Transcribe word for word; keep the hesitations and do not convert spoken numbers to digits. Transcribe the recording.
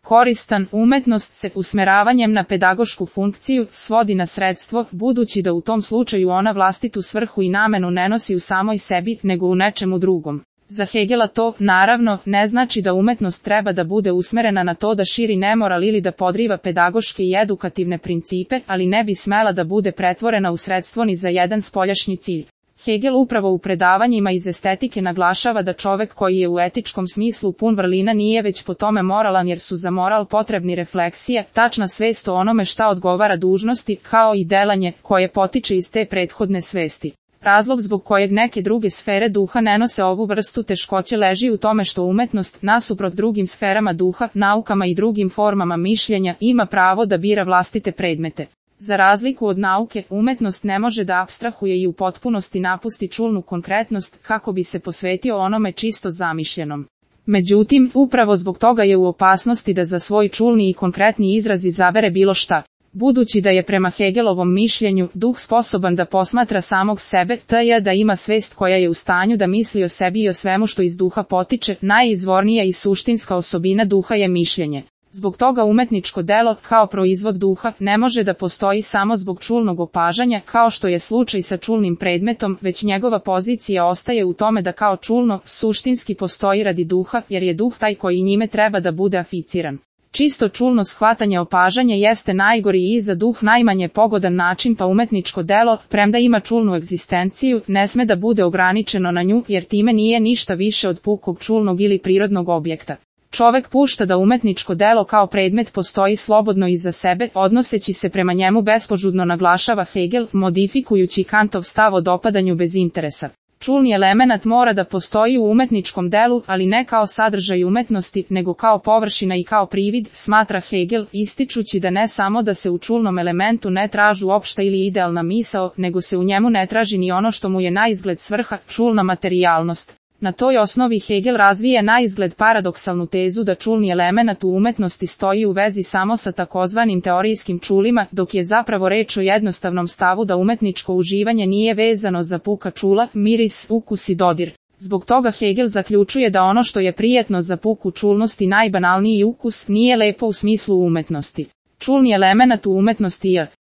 koristan, umetnost se usmeravanjem na pedagošku funkciju svodi na sredstvo, budući da u tom slučaju ona vlastitu svrhu i namenu ne nosi u samoj sebi, nego u nečemu drugom. Za Hegela to, naravno, ne znači da umetnost treba da bude usmerena na to da širi nemoral ili da podriva pedagoške i edukativne principe, ali ne bi smela da bude pretvorena u sredstvo ni za jedan spoljašnji cilj. Hegel upravo u predavanjima iz estetike naglašava da čovek koji je u etičkom smislu pun vrlina nije već po tome moralan, jer su za moral potrebni refleksije, tačna svest o onome šta odgovara dužnosti, kao i delanje koje potiče iz te prethodne svesti. Razlog zbog kojeg neke druge sfere duha ne nose ovu vrstu teškoće leži u tome što umetnost, nasuprot drugim sferama duha, naukama i drugim formama mišljenja, ima pravo da bira vlastite predmete. Za razliku od nauke, umetnost ne može da apstrahuje i u potpunosti napusti čulnu konkretnost kako bi se posvetio onome čisto zamišljenom. Međutim, upravo zbog toga je u opasnosti da za svoj čulni i konkretni izraz izabere bilo šta. Budući da je prema Hegelovom mišljenju duh sposoban da posmatra samog sebe, t j. da ima svest koja je u stanju da misli o sebi i o svemu što iz duha potiče, najizvornija i suštinska osobina duha je mišljenje. Zbog toga umetničko delo, kao proizvod duha, ne može da postoji samo zbog čulnog opažanja, kao što je slučaj sa čulnim predmetom, već njegova pozicija ostaje u tome da kao čulno, suštinski postoji radi duha, jer je duh taj koji njime treba da bude aficiran. Čisto čulno shvatanje opažanja jeste najgori i za duh najmanje pogodan način, pa umetničko delo, premda ima čulnu egzistenciju, ne sme da bude ograničeno na nju, jer time nije ništa više od pukog čulnog ili prirodnog objekta. Čovek pušta da umetničko delo kao predmet postoji slobodno iza sebe, odnoseći se prema njemu bespožudno, naglašava Hegel, modifikujući Kantov stav o dopadanju bez interesa. Čulni elemenat mora da postoji u umetničkom delu, ali ne kao sadržaj umetnosti, nego kao površina i kao privid, smatra Hegel, ističući da ne samo da se u čulnom elementu ne tražu opšta ili idealna misao, nego se u njemu ne traži ni ono što mu je naizgled svrha, čulna materijalnost. Na toj osnovi Hegel razvije naizgled paradoksalnu tezu da čulni elemenat u umetnosti stoji u vezi samo sa takozvanim teorijskim čulima, dok je zapravo reč o jednostavnom stavu da umetničko uživanje nije vezano za puka čula, miris, ukus i dodir. Zbog toga Hegel zaključuje da ono što je prijetno za puku čulnost i najbanalniji ukus nije lepo u smislu umetnosti. Čulni elemenat u umetnosti je